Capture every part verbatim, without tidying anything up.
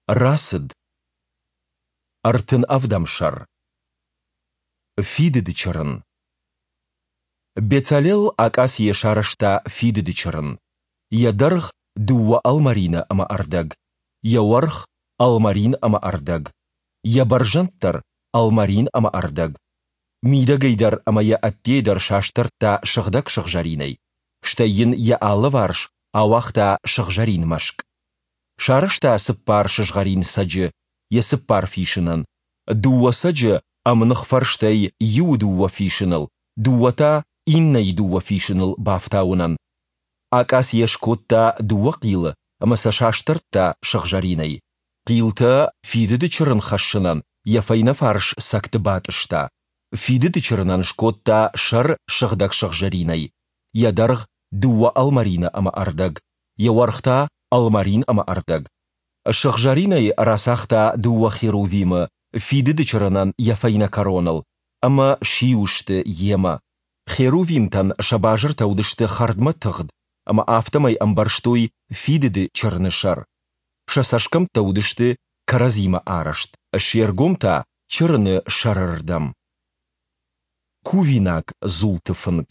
Рацыд. Ӕртын ӕвдӕм сӕр. Фидыды чырын. Бецалел акъацийӕ сарӕзта фидыды чырын. Йӕ дӕргъ дыууӕ ӕлмӕрины ӕмӕ ӕрдӕг, йӕ уӕрх ӕлмӕрин ӕмӕ ӕрдӕг, йӕ бӕрзӕнд дӕр ӕлмӕрин ӕмӕ ӕрдӕг. Мидӕгӕй дӕр ӕмӕ йӕ ӕддейӕ дӕр састӕрдта сыгъдӕг сыгъзӕринӕй, стӕй йын йӕ алыварс ауагъта сыгъзӕрин мӕскъ. Сарӕзта цыппар сызгъӕрин цӕджы йӕ цыппар фисынӕн, дыууӕ цӕджы ӕмных фӕрстӕй иуы дыууӕ фисыныл, дыууӕ та иннӕйы дыууӕ фисыныл бафтауынӕн. Акъацийӕ скодта дыууӕ хъилы ӕмӕ сӕ састӕрдта сыгъзӕринӕй. Хъилтӕ фидыды чырын хӕссынӕн йӕ фӕйнӕфарс цӕгты батъыста. Фидыды чырынӕн скодта сӕр сыгъдӕг сыгъзӕринӕй, йӕ дӕргъ дыууӕ ӕлмӕрины ӕмӕ ӕрдӕг, йӕ уӕрх та ӕлмӕрин ӕмӕ ӕрдӕг. Сыгъзӕринӕй рацагъта дыууӕ херувимы фидыды чырынӕн йӕ фӕйнӕ кӕроныл ӕмӕ сиу сты йемӕ. Херувимтӕн сӕ базыртӕ уыдысты хӕрдмӕ тыгъд ӕмӕ афтӕмӕй ӕмбӕрзтой фидыды чырыны сӕр. Сӕ цӕсгӕмттӕ уыдысты кӕрӕдзимӕ арӕзт, се ргом та чырыны сӕры рдӕм. Кувинаг дзулты фынг.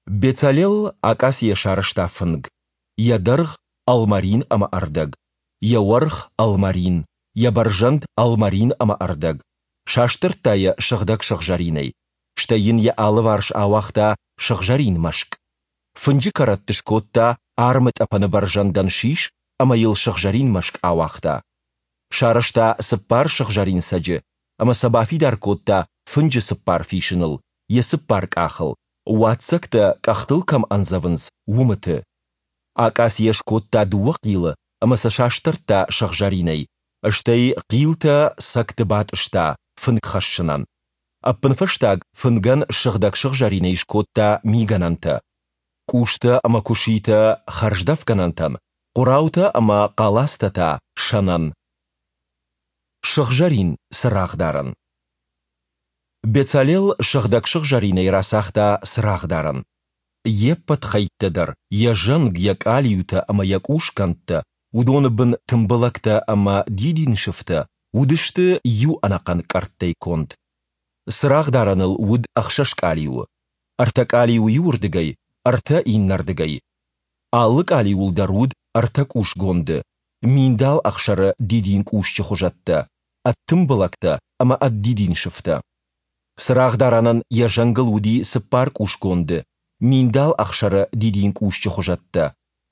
Бецалел акъацийӕ сарӕзта фынг, йӕ дӕргъ ӕлмӕрин ӕмӕ ӕрдӕг, йӕ уӕрх ӕлмӕрин, йӕ бӕрзӕнд ӕлмӕрин ӕмӕ ӕрдӕг, састӕрдта йӕ сыгъдӕг сыгъзӕринӕй, стӕй йын йӕ алыварс ауагъта сыгъзӕрин мӕскъ. Фынджы кӕрӕтты скодта армы тъӕпӕны бӕрзӕндӕн сис ӕмӕ йыл сыгъзӕрин мӕскъ ауагъта. Сарӕзта цыппар сыгъзӕрин цӕджы ӕмӕ сӕ бафидар кодта фынджы цыппар фисыныл, йӕ цыппар къахыл, уадздзӕгтӕ къӕхтыл кӕм ӕндзӕвынц, уымыты. Акъацийӕ скодта дыууӕ хъилы ӕмӕ сӕ састӕрдта сыгъзӕринӕй, стӕй хъилтӕ цӕгты батъыста фынг хӕссынӕн. Ӕппынфӕстаг фынгӕн сыгъдӕг сыгъзӕринӕй скодта мигӕнӕнтӕ. Къустӕ ӕмӕ куыситӕ хӕрздӕфгӕнӕнтӕн, хъуыраутӕ ӕмӕ хъалацтӕ та сӕнӕн. Сыгъзӕрин цырагъдарӕн. Бецалел сыгъдӕг сыгъзӕринӕй рацагъта цырагъдарӕн. Йе ппӕт хӕйттӕ дӕр, йӕ зӕнг, йӕ къалиутӕ ӕмӕ йӕ къусгӕндтӕ, уыдоны бын тымбылӕгтӕ ӕмӕ дидинсыфтӕ, уыдысты иу ӕнӕхъӕн къӕрттӕй конд. Цырагъдарӕныл уыд ӕхсӕз къалиуы. Ӕртӕ къалиуы иуырдыгӕй, ӕртӕ иннӕрдыгӕй. Алы къалиуыл дӕр уыд ӕртӕ къусгонды, миндал ӕхсӕры дидинкъусчы хуызӕттӕ, ӕд тымбылӕгтӕ ӕмӕ ӕд дидинсыфтӕ. Цырагъдарӕнӕн йӕ зӕнгыл уыди цыппар къусгонды, миндал ӕхсӕры дидинкъусчы хуызӕттӕ,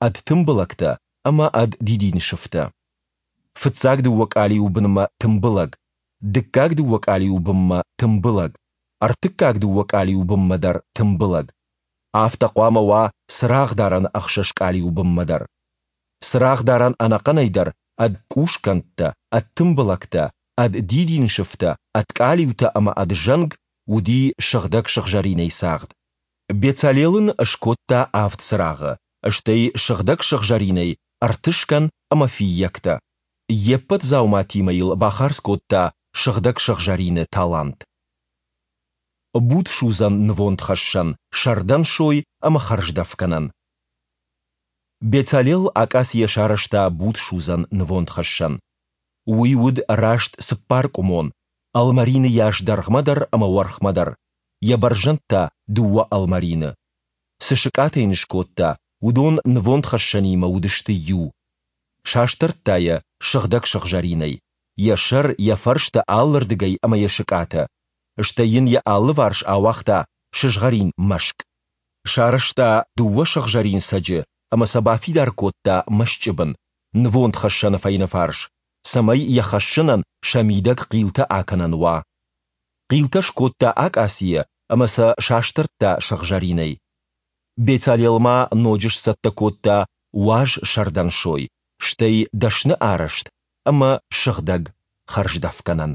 ӕд тымбылӕгтӕ ӕмӕ ӕд дидинсыфтӕ. Фыццаг дыууӕ къалиуы бынмӕ тымбылӕг, дыккаг дыууӕ къалиуы бынмӕ тымбылӕг, ӕртыккаг дыууӕ къалиуы бынмӕ дӕр тымбылӕг. Афтӕ хъуамӕ уа цырагъдарӕны ӕхсӕз къалиуы бынмӕ дӕр. Цырагъдарӕн ӕнӕхъӕнӕй дӕр ӕд къусгӕндтӕ, ӕд тымбылӕгтӕ, ӕд дидинсыфтӕ, ӕд къалиутӕ ӕмӕ ӕд зӕнг уыди сыгъдӕг сыгъзӕринӕй цагъд. Бецалел ын скодта авд цырагъы, стӕй сыгъдӕг сыгъзӕринӕй ӕртыскӕн ӕмӕ фыййӕгтӕ. Йе ппӕт дзауматимӕ йыл бахардз кодта сыгъдӕг сыгъзӕрины талант. Будсудзӕн нывондхӕссӕн, сӕрдӕн сой ӕмӕ хӕрздӕфгӕнӕн. Бецалел акъацийӕ сарӕзта будсудзӕн нывондхӕссӕн. Уый уыд раст цыппаркъуымон, ӕлмӕрины йас дӕргъмӕ дӕр ӕмӕ уӕрхмӕ дӕр, йӕ бӕрзӕнд та дыууӕ ӕлмӕрины. Цы сыкъатӕ йын скодта, уыдон нывондхӕссӕнимӕ уыдысты иу. Састӕрдта йӕ сыгъдӕг сыгъзӕринӕй, йӕ сӕр, йӕ фӕрстӕ алырдыгӕй ӕмӕ йӕ сыкъатӕ. Стӕй йын йӕ алыварс ауагъта сызгъӕрин мӕскъ. Сарӕзта дыууӕ сыгъзӕрин цӕджы ӕмӕ сӕ бафидар кодта мӕсчъы бын, нывондхӕссӕны фӕйнӕфарс, цӕмӕй йӕ хӕссынӕн сӕ мидӕг хъилтӕ акӕнӕн уа. Хъилтӕ скодта акъацийӕ ӕмӕ сӕ састӕрдта сыгъзӕринӕй. Бецалел ма ноджы сцӕттӕ кодта уаз сӕрдӕн сой, стӕй дӕсны арӕзт ӕмӕ сыгъдӕг хӕрздӕфгӕнӕн.